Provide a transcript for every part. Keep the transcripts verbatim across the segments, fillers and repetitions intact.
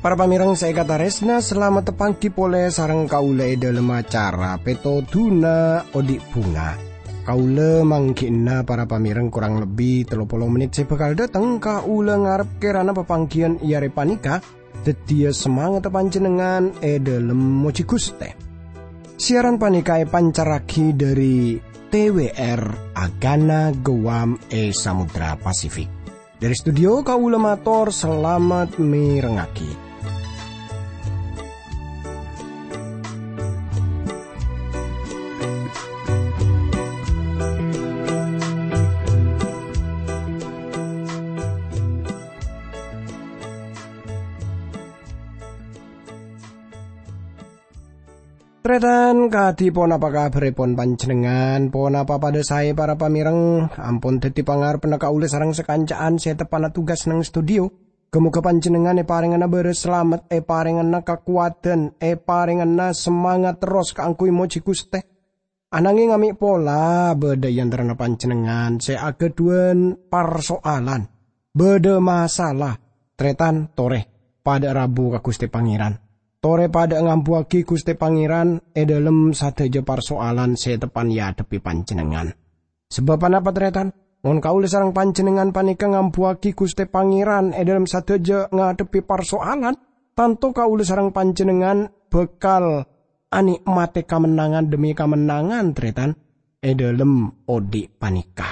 Para pamèrèng sè èkatarèsna, salamet panggi polè sareng kaulâ è dhâlem acara Pètodhuna Odi' Bhunga. Kaulâ mangghi'na para pamèrèng korang lebbi tello polo mennit sè bhâkal dhâteng. Kaulâ ngarep kèrana papangghiyân è arè panèka dhâddhiyâ samangatta panjhennengngan è dhâlem mojhi Ghustè. Siaran panèka èpancarraghi dhâri T W R Agana Guam è Samudra Pasifik. Dhâri studio kaulâ mator salamet mèrengngaghi. Tarètan, kadhi ponapa kabhârrèpon panjhennengngan? Ponapa padâ saè, para pamèrèng? Ampon dhâddhi pangarebbhânna kaulâ sareng sakanca'an sè teppa'na tugas neng studio. Ghâ-moghâ panjhennengngan èparèngana bârâs salamet, èparèngana kakowadhân, èparèngana samangat terros kaangghuy mojhi Ghustè. Ananghing amè' pola bâdâ è antarana panjhennengngan sè aghâdhuwân parsoalan, bâdâ masalah. Tarètan, torè padâ rabu ka Ghustè Pangèran. Torè padâ ngambuwâghi Ghustè Pangèran è dhâlem sadhâjâ parsoalan sè teppa'na èadhebbhi panjhennengngan. Sabâb ponapa, tarètan? Mon kaulâ sareng panjhennengngan panèka ngambuwâghi Ghustè Pangèran è dhâlem sadhâjâ ngadhebbhi parsoalan, tanto kaulâ sareng panjhennengngan bhâkal anè'matè kamennangan dhemmi kamennangan, tarètan, è dhâlem odi' panèka.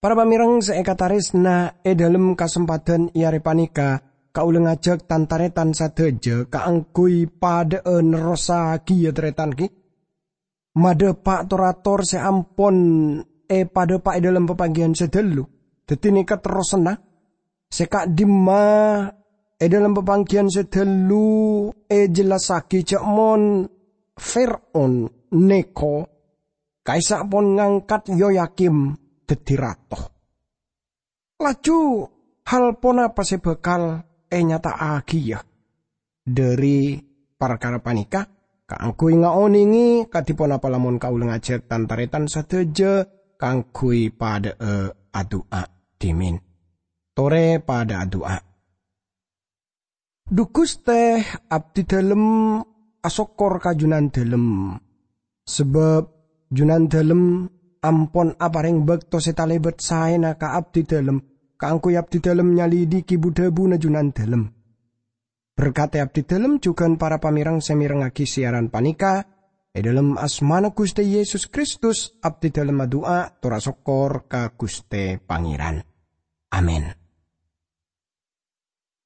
Para pamèrèng sè èkatarèsna, è dhâlem kasempadhân è arè panèka, kaulâ ngajhâk tan-tarètan sadhâjâ kaangghuy padâ'â nerrossaghiyâ, tarètan, ghi. Madhâpa' tor-ator sè ampon èpadhâpa' è dhâlem papangghiyân sè dhâllu. Dhâddhi nèka terrossanna. Sè ka'dimma è dhâlem papangghiyân sè dhâllu èjellassaghi jhâ' mon Fir'aun nèko ka'issa' pon ngangkat Yoyakim dhâddhi rato. Laju hal ponapa sè bhâkal ènyata'aghiyâ dhâri parkara panèka? Kaangghuy ngaonèngè kadhi ponapa lamon kaulâ ngajhâk tan-tarètan sadhâjâ kaangghuy padâ'â adu'a dhimèn. Torè padâ adu'a. Dhu Ghustè, abdhi dhâlem asokkor ka Jhunandhâlem, sabâb Jhunandhâlem ampon aparèng bâkto sè talèbât saèna ka abdhi dhâlem, kaangghuy abdhi dhâlem nyalidhighi bu-dhâbuna Jhunandhâlem. Berkadhi abdhi dhâlem jhughân para pamèrèng sè mèrengngaghi siaran panèka, è dhâlem asmana Ghustè Yesus Kristus, abdhi dhâlem adu'a tor asokkor ka Ghustè Pangèran. Amin.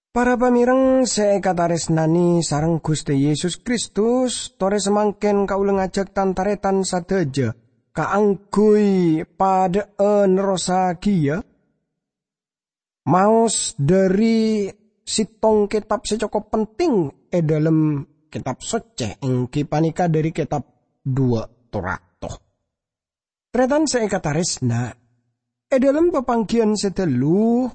Para pamèrèng sè èkatarèsnanè sareng Ghustè Yesus Kristus, torè samangkèn kaulâ ngajhâk tan-tarètan sadhâjâ kaangghuy padâ'â nerrossaghiyâ maos dhâri sèttong kètab sè cokop penting è dhâlem Kètab Soccè, èngghi panèka dhâri kètab Duwâ' Torato. Tarètan sè èkatarèsna, è dhâlem papangghiyân sè dhâllu,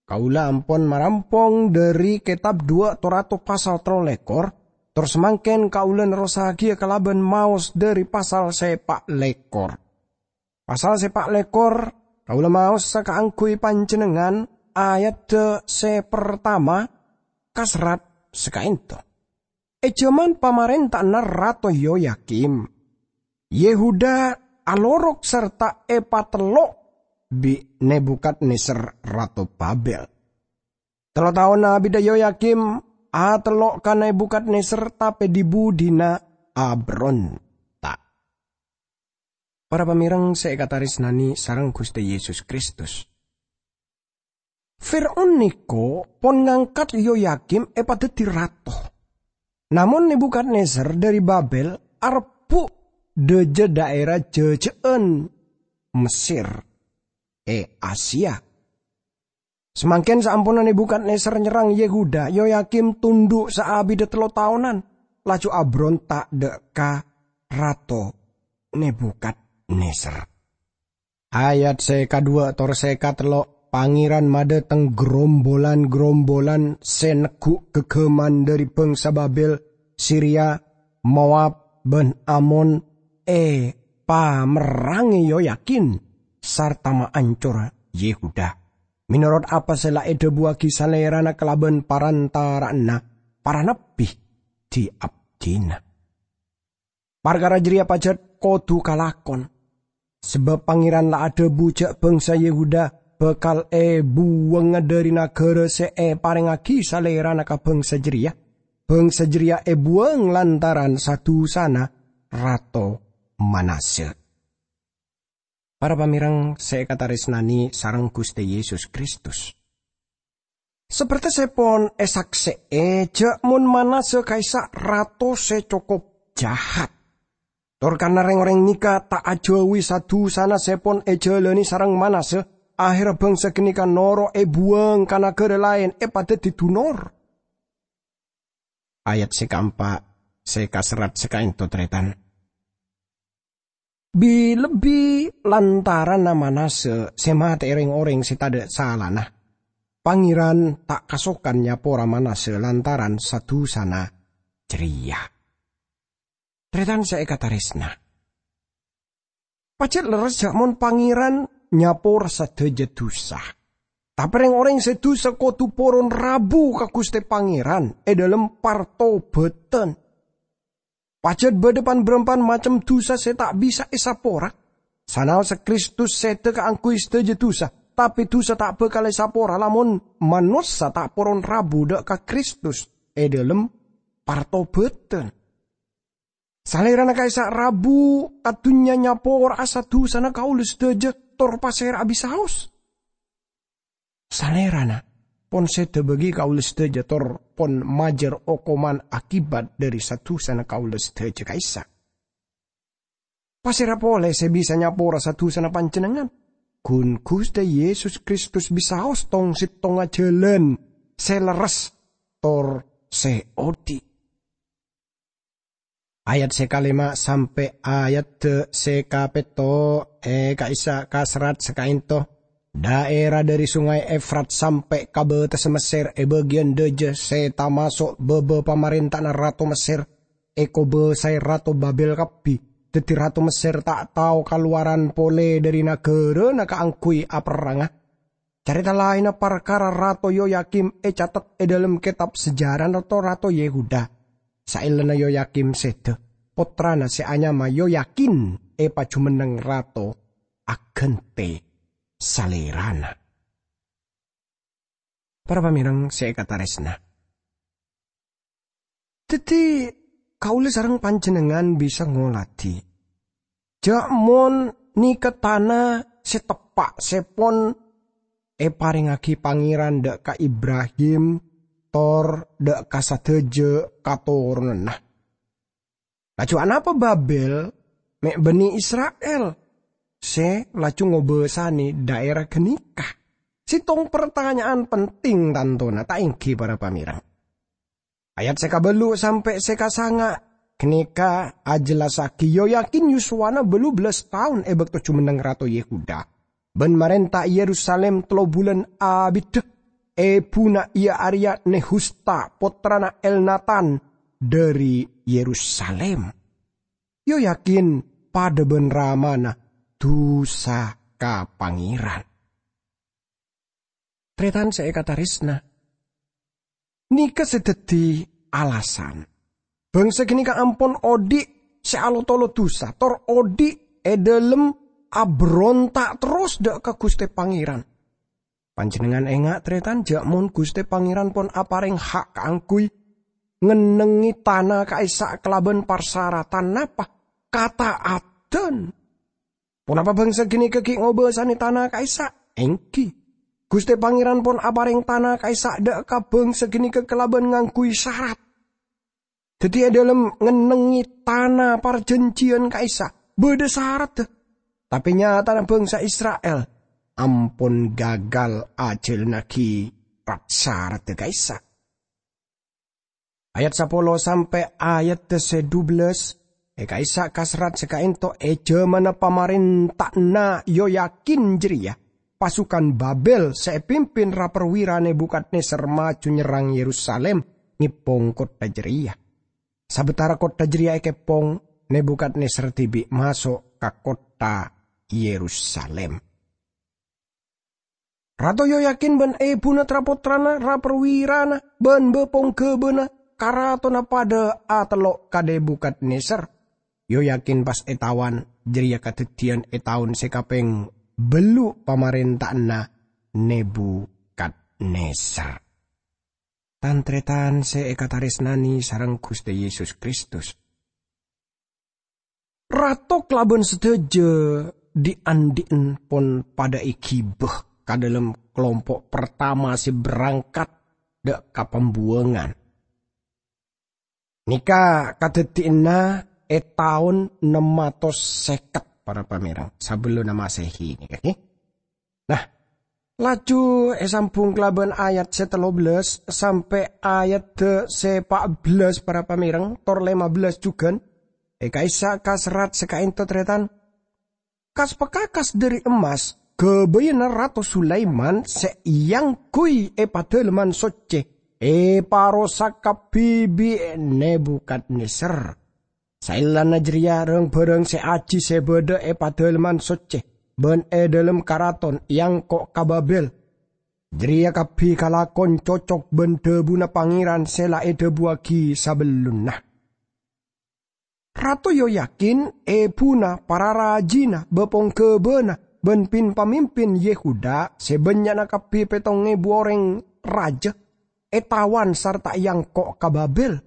kaulâ ampon marampong dhâri kètab Duwâ' Torato pasal tello lèkor, tor samangkèn kaulâ nerrossaghiyâ kalabân maos dhâri pasal sè pa' lèkor. Pasal sè pa' lèkor, kaulâ maosa kaangghuy panjhennengngan, ayadda sè partama kaserrat sakaènto. È jhâman pamarènta'anna Rato Yoyakim, Yehuda alorok sarta èpatello' bi' Nebukadnezar, rato Babel. Tello taon abidda Yoyakim atello' ka Nebukadnezar, tapè dhi-budhina abronta'. Para pamèrèng sè èkatarèsnanè sareng Ghustè Yesus Kristus. Fir'aun nèko pon ngangkat Yoyakim èpadhâddhi rato. Namong Nebukadnezar dhâri Babel arebbhu' dhâjâ dhaèra jâjâ'ân Mesir è Asia. Samangkèn saamponna Nebukadnezar nyerrang Yehuda, Yoyakim tondhu' saabidda tello taonan, laju abronta' dhâ' ka Rato Nebukadnezar. Ayat sè kadhuwâ' tor sè katello', Pangèran madhâteng grombolan-grombolan sè neggu' ghâghâman dhâri bhângsa Babèl, Siria, Moab, bân Amon, èpamerrangè Yoyakin sarta maancor Yehuda, mènorot apa sè la èdhâbuwâghi Salèrana kalabân parantara'anna para nabbhi di-abdina. Parkara jârèya pajhât kodhu kalakon, sabâb Pangèran la adhâbu jâ' bhângsa Yehuda bhâkal èbuwângnga dhâri naghârâ sè èparèngngaghi Salèrana ka bhângsa jârèya. Bhângsa jârèya èbuwâng lantaran sa-dusana Rato Manase. Para pamèreng sè èkatarèsnanè sareng Ghustè Yesus Kristus. Sapertèsèpon èsaksè'è jâ' mon Manase ka'issa' rato sè cokop jahat. Tor karna rèng-orèng nèka ta' ajhâuwi sa-dusana sè pon èjhâlânè sareng Manase, ahèrra bhângsa ghânèka noro' èbuwâng ka naghârâ laèn èpadhâddhi dunor. Ayat sè kaempa' sè kaserrat sakaènto, tarètan. Bi-lebbi lantaranna Manase sè matè'è rèng-orèng sè tadhâ' salana, Pangèran ta' kasokan nyapora Manase lantaran sa-dusana jârèya. Tarètan sè èkatarèsna. Pajhât lerres jâ' mon Pangèran nyapora sadhâjâ dusa. Tapè rèng-orèng sè dusa kodhu poron rabu ka Ghustè Pangèran è dhâlem partobhâdhân. Pajhât bâdâ pan-bârâmpan macem dusa sè ta' bisa èsapora. Sanaossa Kristus sèdhâ kaangghuy sadhâjâ dusa, tapè dusa ta' bhâkal èsapora lamon manossa ta' poron rabu dâ' ka Kristus è dhâlem partobhâdhân. Salèrana ka'issa' rabu ka dhunnya nyapora'a sa-dusana kaulâ sadhâjâ tor pasèra'a bisaos. Salèrana pon sèdhâ bâgi kaulâ sadhâjâ tor pon majâr okoman akibat dhâri sa-dusana kaulâ sadhâjâ ka'issa'. Pasèra polè sè bisa nyapora sa-dusana panjhennengngan? Ghun Ghustè Yesus Kristus bisaos tong-settongnga jhâlân sè lerres tor sè odi'. Ayat sè kalèma' sampè' ayat sè kapètto è ka'issa' kaserrat sakaènto. Dhaèra dhâri Songay Efrat sampè' ka bâtessa Messèr è bâgiyân dhâjâ sè tamaso' bâbâ pamarènta'anna rato Messèr èkobâsaè rato Babèl kabbhi. Dhâddhi rato Messèr ta' tao kalowaran polè dhâri naghârâna kaangghuy aperranga. Carèta laènna parkara Rato Yoyakim ècatet è dhâlem kètab sejarana to-rato Yehuda. Saellana Yoyakim sèdhâ, pottrana sè anyama Yoyakin èpajhumenneng rato aghântè salèrana. Para pamèreng sè èkatarèsna. Dhâddhi, kaulâ sareng panjhennengngan bisa ngoladhi jâ' mon nèka tana sè teppa' sè pon èparèngngaghi Pangèran dâ' ka Ibrahim tor dâ' ka sadhâjâ katoronanna. Laju anapa Babèl mè' bânnè Isra'il sè laju ngobâsanè dhaèra ghânèka? Sèttong partanya'an penting tantona, ta' èngghi para pamèreng? Ayat sè kabâllu' sampè' sè kasanga' ghânèka ajhellassaghi Yoyakin yuswana bâllu bellâs taon è bâkto jhumenneng Rato Yehuda bân marènta è Yerusalim tello bulân abiddhâ. Èbhuna iyâ arèya Nehusta, pottrana Elnatan dhâri Yerusalim. Yoyakin padâ bân ramana dusa ka Pangèran. Tarètan sè èkatarèsna, nèka sè dhâddhi alasan bhângsa ghânèka ampon odi' sè alotolo dusa, tor odi' è dhâlem abhâronta' terros dâ' ka Ghustè Pangèran. Panjhennengngan enga', tarètan, jâ' mon Ghustè Pangèran pon aparèng ha' kaangghuy ngennengngè tana ka'issa' kalabân parsaratan napa? Kata'addhân. Ponapa bhângsa ghânèka ghi' ngobâsanè tana ka'issa'? Èngghi. Ghustè Pangèran pon aparèng tana ka'issa' dâ' ka bhângsa ghânèka kalabân ngangghuy sarat. Dhâddhi, è dhâlem ngennengngè tana parjhânjhiyân ka'issa', bâdâ saradda. Tapè nyatana bhângsa Isra'il ampon gagal ajhâlannaghi rat-saradda ka'issa'. Ayat sapolo sampè' ayat sè dubellâs, è ka'issa' kaserrat sè kaènto è jhâmanna pamarènta'anna Yoyakin jârèya, pasukan Babel sè èpimpin ra-perwira Nebukadnezar maju nyerrang Yerusalem, ngèpong kottha jârèya. Sabâtara kottha jârèya èkèpong, Nebukadnezar dhibi' maso' ka kottha Yerusalem. Rato Yoyakin bân èbhuna tra-pottrana, ra-perwirana, bân bâ-pongghâbâna karatonna padâ atello' ka Nebukadnezar. Yoyakin pas ètawan, jârèya kadhâddhiyân è taon sè kapèng bâllu' pamarènta'anna Nebukadnezar. Tan-tarètan sè èkatarèsnanè sareng Ghustè Yesus Kristus. Rato kalabân sadhâjâ dhi'-andhi'en pon padâ èghibâ ka dâlem kalompo' partama sè berangkat dâ' ka pambuwângan. Nèka kadhâddhiyânna è taon nem atos sèket, para pamèreng, sabellunna Masehi nèka, ghi. Nah, laju èsambhung kalabân ayat sè tello bellâs sampè' ayat sè pa' bellâs, para pamèreng, tor lèma bellâs jhughân. È ka'issa' kaserrat sè ka'ènto, tarètan. Kas-pakakas dhâri emmas ghâbâyânna Rato Sulaiman sè èangghuy è Padâlemman Soccè èparosak kabbhi bi' Nebukadnezar. Saellana jârèya, rang-bhârâng sè ajhi sè bâdâ è Padâlemman Soccè bân è dâlem karaton èangko' ka Babel. Jârèya kabbhi kalakon cocok bân dhâbuna Pangèran sè la èdhâbuwaghi sabellunna. Rato Yoyakin, èbhuna, para rajina, bâ-pongghâbâna, bân pin-pamimpin Yehuda sè bânnya'na kabbhi pètto èbu orèng rajâ, ètawan sarta èangko' ka Babel.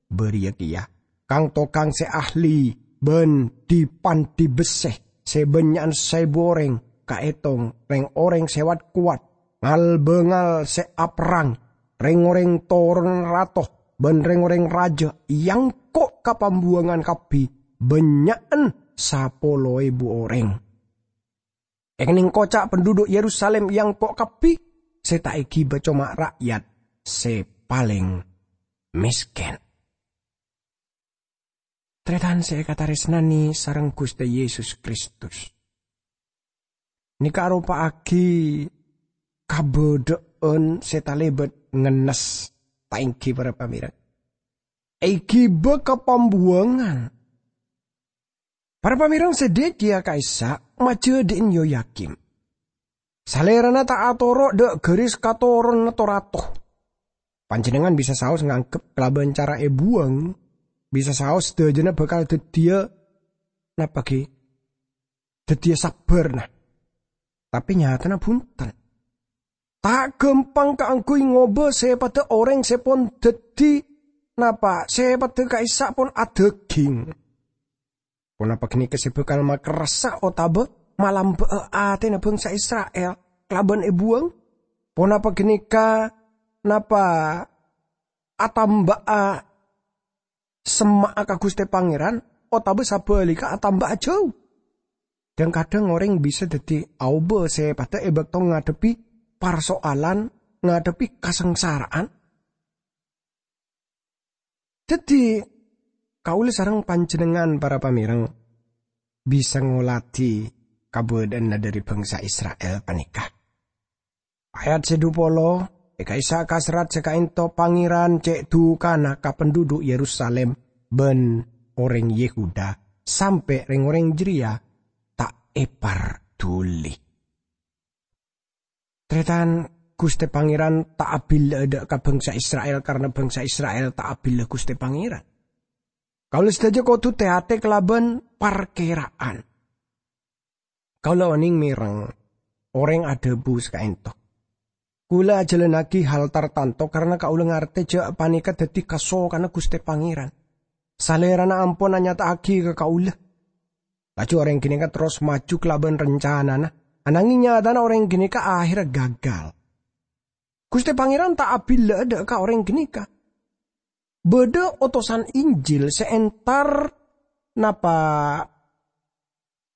Bâriyâ kèya, kang-tokang sè ahli bân dhi-pandhi bessè sè bânnya'an saèbu orèng, kaètong rèng-orèng sè wat-kowat, ngal-bângal sè aperrang, rèng-orèng toronanna rato, bân rèng-orèng rajâ èangko' ka pambuwângan kabbhi, bânnya'an sapolo èbu orèng. Èkennèng koca' penduduk Yerusalem èangko' kabbhi, sè ta' èghibâ coma ra'yat sè palèng mèskèn. Tarètan sè èkatarèsnanè sareng Ghustè Yesus Kristus. Nèka aropa'aghi kabâdâ'ân sè talèbât ngennes, ta' èngghi para pamèreng. Èghibâ ka pambuwângan. Para pamèreng sè dhâjâ ka'issa' majâdhi'in Yoyakim. Salèrana ta' atoro' dâ' ghâris katoronanna to-rato. Panjhennengngan bisa saos nganggep kalabân cara èbuwâng, bisa saos sadhâjâna bhâkal dhâddhiyâ, napa ghi? Dhâddhiyâ sabbhâr, nah. Tapè nyatana bhunten. Ta' ghâmpang kaangghuy ngobâ sèpaddhâ orèng sè pon dhâddhi, napa, sèpaddhâ ka'issa' pon adhâghing. Ponapa ghânèka sè bhâkal makerrassa otabâ malambâ'â atèna bhângsa Isra'il kalabân èbuwâng? Ponapa ghânèka, napa, atamba'a semma'a ka Ghustè Pangèran, otabâ sabhâligghâ atamba'a jâu? Dhâng-kadhâng orèng bisa dhâddhi aobâ sèpaddhâ è bâkto ngadhebbhi parsoalan, ngadhebbhi kasangsara'an. Dhâddhi, kaulâ sareng panjhennengngan, para pamèreng, bisa ngolatè kabâdâ'ânna dhâri bhângsa Isra'il panèka. Ayat sè dhu polo, è ka'issa' kaserrat sè ka'ènto Pangèran cè' dhukana ka penduduk Yerusalem bân orèng Yehuda, sampè' rèng-orèng jârèya ta' èparduli. Tarètan, Ghustè Pangèran ta' abhilâ'â dâ' ka bhângsa Isra'il karana bhângsa Isra'il ta' abhilâ Ghustè Pangèran. Kaulâ sadhâjâ kodhu tè-atè kalabân parkèra'an. Kaulâ onèng mèreng orèng adhâbu sè ka'ènto. Kaulâ ajhâlânnaghi hal tartanto karana kaulâ ngartè jâ' panèka dhâddhi kasokanna Ghustè Pangèran. Salèrana ampon anyata'aghi ka kaulâ. Laju orèng ghânèka terros maju kalabân rancanana, ananghing nyatana orèng ghânèka ahèrra gagal. Ghustè Pangèran ta' abhilâ'â dâ' ka orèng ghânèka. Bâdâ otosan Injil sè èntar, napa,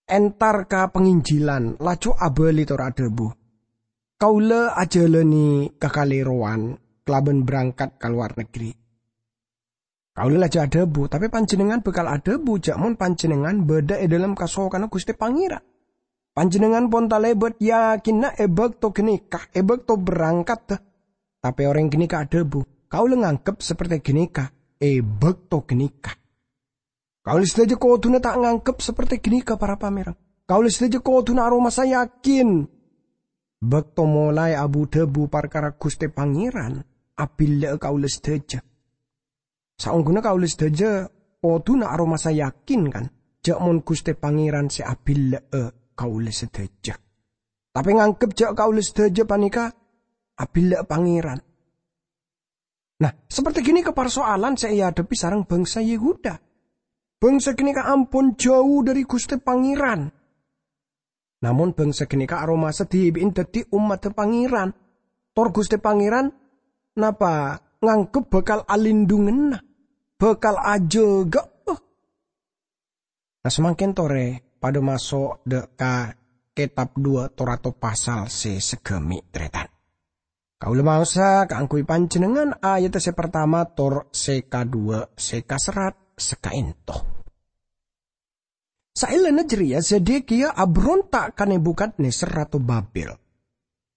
èntar ka panginjilan, laju abâli tor adhâbu, "Kaulâ ajhâlâna ka Kalèrowan kalabân berangkat ka lowar negri." Kaulâ laju adhâbu, "Tapè panjhennengngan bhâkal adhâbu jâ' mon panjhennengngan bâdâ è dâlem kasokanna Ghustè Pangèran." Panjhennengngan pon talèbât yakinna è bâkto ghânèka, è bâkto berangkadda. Tapè orèng ghânèka adhâbu, "Kaulâ nganggep saperte ghânèka è bâkto ghânèka." Kaulâ sadhâjâ kodhuna ta' nganggep saperte ghânèka, para pamèreng. Kaulâ sadhâjâ kodhuna aromasa yakin bâkto molaè abu-dhâbu parkara Ghustè Pangèran abillâ'â kaulâ sadhâjâ. Saongghuna kaulâ sadhâjâ kodhuna aromasa yakin, kan, jhâ' mon Ghustè Pangèran sè abillâ'â kaulâ sadhâjâ. Tapè nganggep jhâ' kaulâ sadhâjâ panèka abillâ'â Pangèran. Nah, saperte ghânèka parsoalan sè èadhebbhi sareng bangsa Yehuda. Bangsa ghânèka ampon jhâu dhâri Ghustè Pangèran. Namong bangsa ghânèka aromasa dhibi'na dhâddhi ommaddhâ Pangèran. Tor Ghustè Pangèran napa nganggep bhâkal alindhunganna, bhâkal ajâgâ'â. Nah, samangkèn torè padâ maso' dâ' ka kètab duwâ' Torato pasal sè saghâmè', tarètan. Kaulâ maosa kaangghuy panjhennengngan ayatta sè partama tor sè kadhuwâ' sè kaserrat sakaènto. Saellana jârèya Zedekiya abronta' ka Nebukadnezar, rato Babel.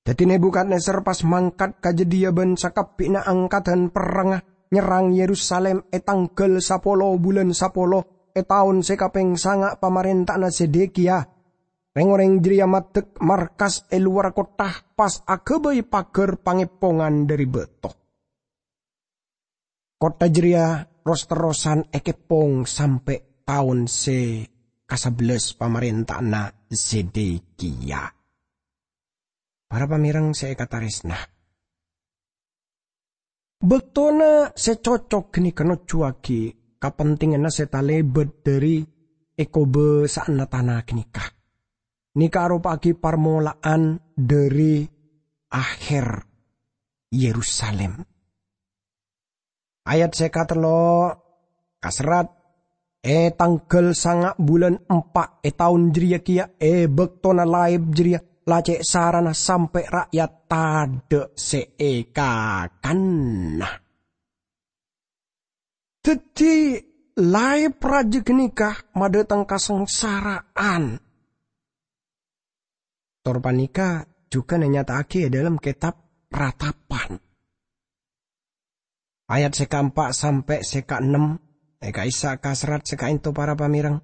Dhâddhi Nebukadnezar pas mangkat ka jâdiyâ bân sakabbhi'na angkaddhân perrangnga nyerrang Yerusalim è tangghâl sapolo bulân sapolo è taon sè kapèng sanga' pamarènta'anna Zedekiya. Rèng-orèng jârèya maddhek markas è lowarra kottha, pas aghâbây paghâr pangèpongan dhâri bâto. Kottha jârèya ros-terrosan èkèpong sampè' taon sè kasabellâs pamarènta'anna Zedekiya. Para pamèreng sè èkatarèsna, bâktona sè cocok ghânèka nojjhuwâghi kapentènganna sè talèbât dhâri èkobâsa'anna tana ghânèka. Nèka aropa'aghi parmola'an dhâri aher Yerusalim. Ayat sè katello' kaserrat, "È tangghâl sanga' bulân empa' è taon jârèya kèya, è bâktona laèp jârèya, la cè' sarana sampè' ra'yat tadhâ' sè èkakanna." Dhâddhi, laèp rajâ ghânèka madhâteng kasangsara'an. Tor panèka jhughân ènyata'aghi è dhâlem kètab Ratapan. Ayat sè kaempa' sampè' sè kaennem, è ka'issa' kaserrat sè kaènto, para pamèreng.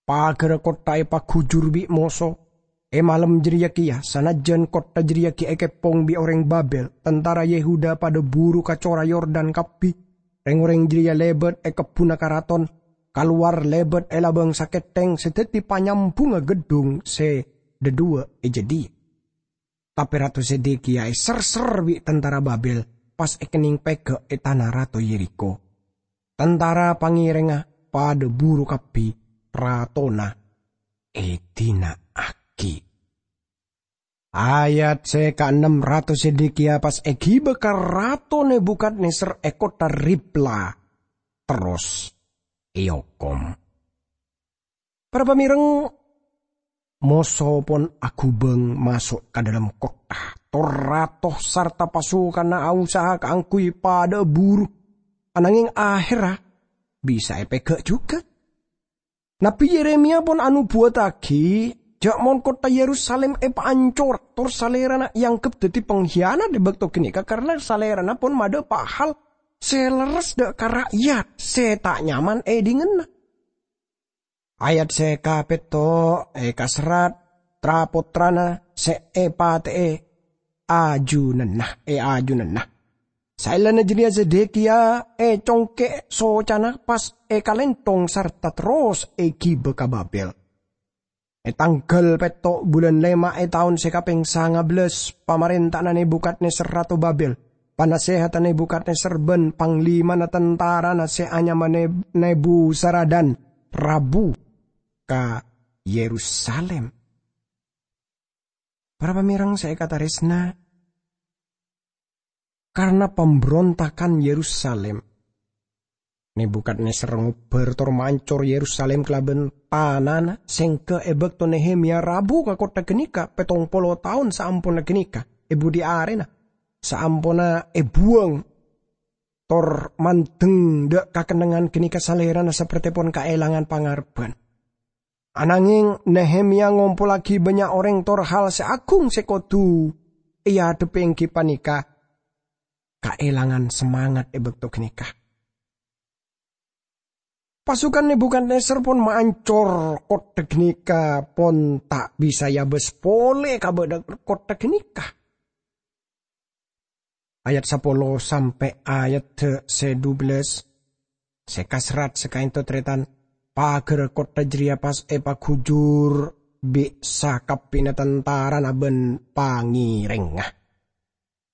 Paghârra kottha èpaghujur bi' moso. È malem jârèya kèya, sanajjân kottha jârèya ghi' èkèpong bi' orèng Babel, tantara Yehuda padâ buru ka cora Yordan kabbhi. Rèng-orèng jârèya lèbât è kebbhunna karaton, kalowar lèbât è labâng sakèthèng sè dhâddhi panyambhungnga gheddhung sè dhâdhuwâ' è jâdiyâ. Tapè Rato Zedekiya èserser bi' tantara Babel, pas èkennèng pèghâ' è tana Rato Yerikho. Tantara pangèrèngnga padâ buru kabbhi, ratona èdina'aghi. Ayat sè kaennem, Rato Zedekiya pas èghibâ ka Rato Nebukadnezar è kottha Ribla, terros èokom. Para pamèreng, moso pon aghubâng maso' ka dhâlem kottha. Tor rato sarta pasukanna ausaha kaangghuy padâ'â buru, ananghèng ahèrra bisa èpèghâ' jhughân. Nabbhi Yeremiya pon anobuwâtaghi jhâ' mon kottha Yerusalim èpaancor, tor salèrana èangghep dhâddhi panghiyanat è bâkto ghânèka, karna salèrana pon madhâpa' hal sè lerres dâ' ka ra'yat sè ta' nyaman è dhingngènna. Ayat sè kapètto' èkaserrat, tra-pottrana sè èpatè'è ajunanna, è ajunanna. Saellana jârèya Zedekiya ècongkè' socana pas èkalènthong sarta terros èghibâ ka Babel. È tangghâl pètto' bulân lèma' è taon sè kapèng sangabellâs pamarènta'anna Nebukadnezar rato Babel, panasèhatta Nebukadnezar bân panglimana tantarana sè anyama Neb-, Nebusaradan rabu ka Yerusalim. Para pamèreng sè èkatarèsna, karna pambrontakan Yerusalim, Nebukadnezar ngobbhâr tor mancor Yerusalim kalabân tanana, sèngghâ è bâkto Nehemia rabu ka kottha ghânèka pèttong polo taon saamponna ghânèka, è budi arèna, saamponna èbuwâng tor mandeng dâ' kakennengngan ghânèka salèrana saperte pon kaèlangan pangarebbhân. Anangeng Nehemia ngompollaghi bannya' oreng tor hal se agung se kodu eadhebbi enggi paneka kaelangan semangat e bakto ganeka. Pasukan Nebukadnezar pon maancor kottha ganeka, pon ta' bisa eabas pole ka badha kottha ganeka. Ayat sapolo sampe' ayat se dubellâs, se kaserrat se kaento, taretan, pagarra kottha jareya pas epagujur bi' sakabbina tantarana ban pangerengnga.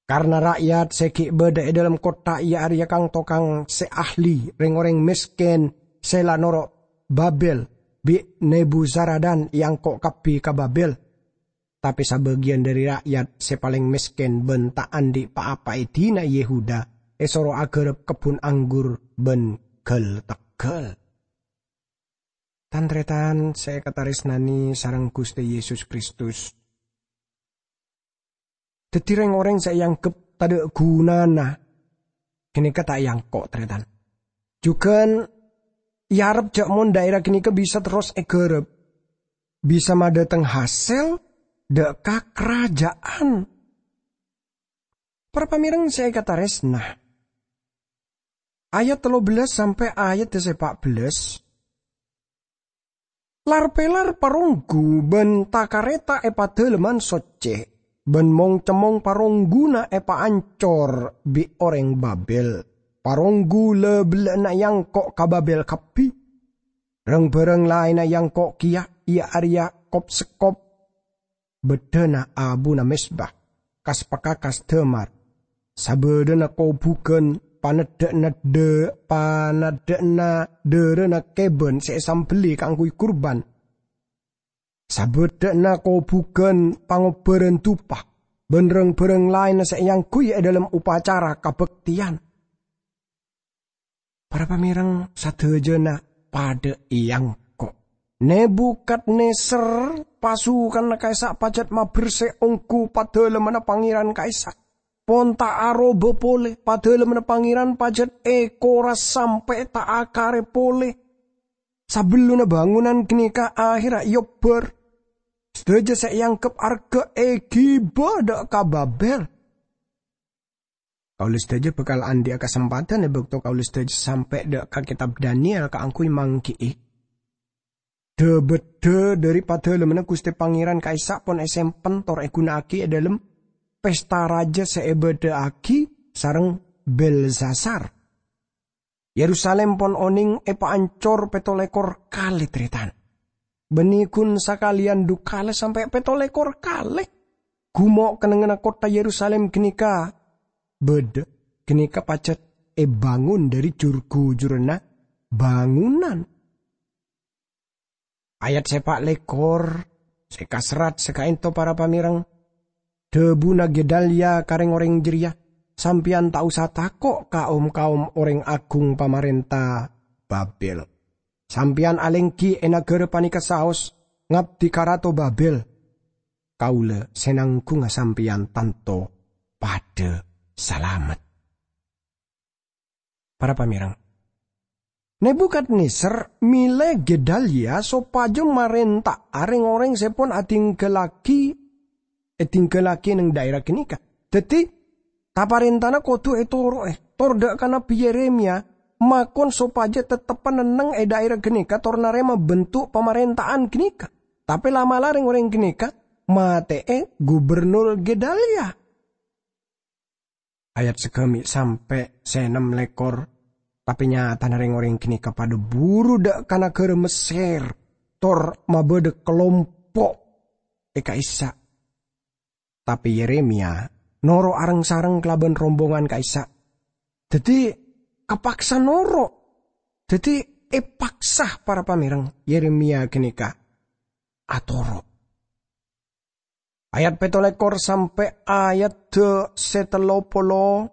Karna ra'yat se gi' badha e dhalem kottha, iya areya kang-tokang se ahli, reng-oreng mesken se la noro' Babel, bi' Nebuzaradan eangko' kabbi ka Babel. Tape sabagiyan dhari ra'yat se paleng mesken ban ta' andhi' pa-apa e dina Yehuda esoro agarap kebbun anggur ban gal-teggal. Tan-taretan se ekataresnane sareng Guste Yesus Kristus, daddi reng-oreng se eanggep tadha' gunana ganeka ta' eangko', taretan. Jugan earep ja' mon daera ganeka bisa terros egarap, bisa madhateng hasel dha' ka karaja'an. Para pamereng se ekataresna, ayat tello bellâs sampe' ayat se pa' bellâs, lar-pelar paronggu ban ta-kareta e Padalemman Socce, ban mong-cemmong parongguna epaancor bi' oreng Babel. Paronggu la-bella'anna eangko' ka Babel kabbi. Rang-barang laenna eangko' keya, iya areya kop-sekkop, baddhana abuna mezba, kas-pakakas damar, sabadhana kobugan, paneddha'na dha-, paneddha'na dharana keban se esambelli kaangguy kurban, sabadha'na kobugan pangobbaran dupa, ban rang-barang laenna se eangguy e dhalem opacara kabakteyan. Para pamereng sadajana padha eangko'. Nebukadnezar, pasukanna ka'issa' pajat maberse onggu Padalemmanna Pangeran ka'issa'. Pon ta' aroba pole, Padalemmanna Pangeran pajat ekoras sampe' ta' akare pole. Sabellunna bangunan ganeka aherra eobbar, sadaja se eanggep arga egiba dha' ka Babel. Kaula sadaja bakal andhi'a kasempadhan e bakto kaula sadaja sampe' dha' ka Ketab Daniel kaangguy manggi'i. Dha-baddha dhari Padalemmanna Guste Pangeran ka'issa' pon esempen tor eguna'agi e dhalem pesta raja se ebadha'agi sareng Belsasar. Yerusalem pon oneng epaancor petto lekor kale, taretan. Banne gun sakaleyan dhu kale sampe' petto lekor kale. Gumo' kennengnganna kottha Yerusalem ganeka badha, ganeka pajat ebangun dhari jur-gujuranna bangunan. Ayat se pa' lekor, se kaserrat se kaento, para pamereng. Dhabuna Gedalya ka reng-oreng jareya, "Sampeyan ta' osa tako' ka om-kaom oreng agung pamarenta Babel. Sampeyan alenggi e nagara paneka saos, 'Ngabdi ka Rato Babel.' Kaula se nanggunga sampeyan tanto padha salamet." Para pamereng, Nebukadnezar mele Gedalya sopaja marenta'a reng-oreng se pon adinggallagi, edinggallagi neng daera ganeka. Daddi, taparentana kodu etoro'e, tor dha' ka Nabbi Yeremia makon sopaja tetteppa'an neng e daera ganeka tor narema bentuk pamarenta'an ganeka. Tape la'-mala' reng-oreng ganeka mate'e Gubernur Gedalya. Ayat sagami' sampe' se ennem lekor. Tape nyatana reng-oreng ganeka padha buru dha' ka nagara Messer, tor mabadha kalompo' e ka'issa'. Tape Yeremia noro' areng-sareng kalaban rombongan ka'issa'. Daddi, kapaksa noro'. Daddi, epaksa, para pamereng, Yeremia ganeka atoro'. Ayat petto lekor sampe' ayat se tello polo,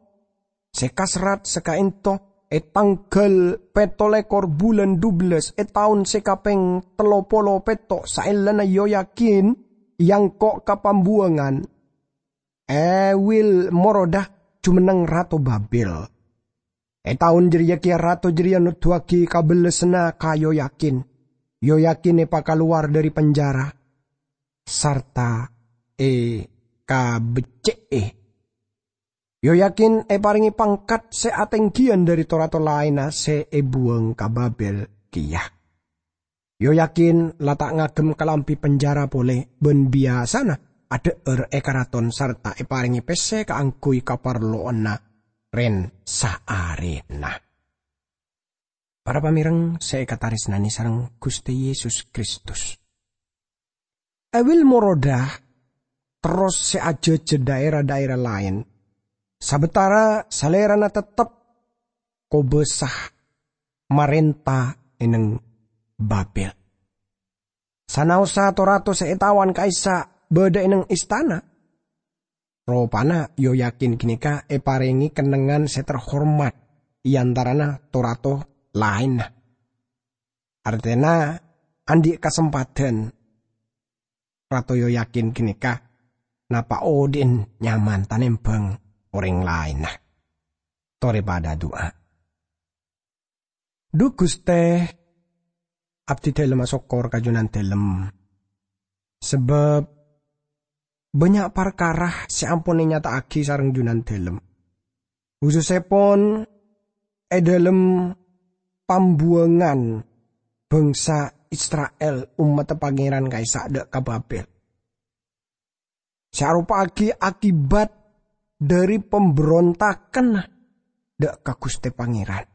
se kaserrat se kaento, e tanggal petto lekor bulan dubellâs, e taon se kapeng tello polo petto' saellana Yoyakin eangko' ka pambuwangan, Ewil-Merodah jumenneng Rato Babel. E taon jareya keya rato jareya noduwagi kabellassanna ka Yoyakin. Yoyakin èpakalowar dhâri penjara, sarta èkabecce'è. Yoyakin èparèngè pangkat sè atèngghiyân dhâri to-rato laènna sè èbuwâng ka Babel kèya. Yoyakin la ta' ngagem kalambhi penjara polè bân biyasana adhâ'âr è karaton sarta èparèngè pèssè kaangghuy kaparlowanna rèn-saarèna. Para pamèreng sè èkatarèsnanè sareng Ghustè Yesus Kristus, Ewil Morodah terros sè ajhâjhâ dhaèra-dhaèra laèn, sabâtara salèrana teptep kobâsa marènta è neng Babel. Sanaossa to-rato sè ètawan ka'issa' bâdâ è neng istana, ropana Yoyakin ghânèka èparèngè kennengngan sè terhormat è antarana to-rato laènna. Artèna, andi' kasempadhân Rato Yoyakin ghânèka napa odi'en nyaman tanèmbhâng orèng laènna. Torè padâ adu'a. Dhu Ghustè, abdhi dhâlem asokkor ka Junandhâlem, sabâb bânnya' parkara sè ampon ènyata'aghi sareng Junandhâlem, husussèpon è dhâlem pambuwângan bangsa Isra'il, ommaddhâ Pangèran ka'issa' dâ' ka Babel, sè aropa'aghi akibat dhâri pambrontaganna dâ' ka Ghustè Pangèran.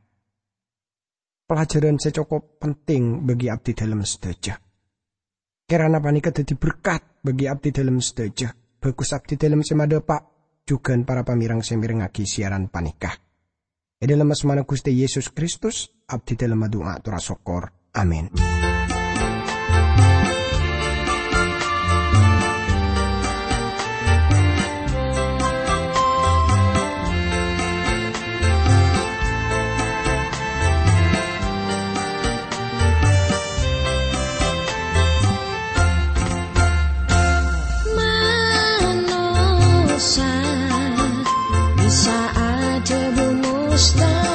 Pelajaran sè cokop penting bagi abdhi dhâlem sadhâjâ. Kèrana panèka dhâddhi berkat bagi abdhi dhâlem sadhâjâ. Bhâghus abdhi dhâlem sè madhâpa', jhughân para pamèreng sè mèrengngaghi siaran panèka. È dhâlem asmana Ghustè Yesus Kristus, abdhi dhâlem adu'a ator asokkor. Amin. Manossa bisa adhâbu mustahil.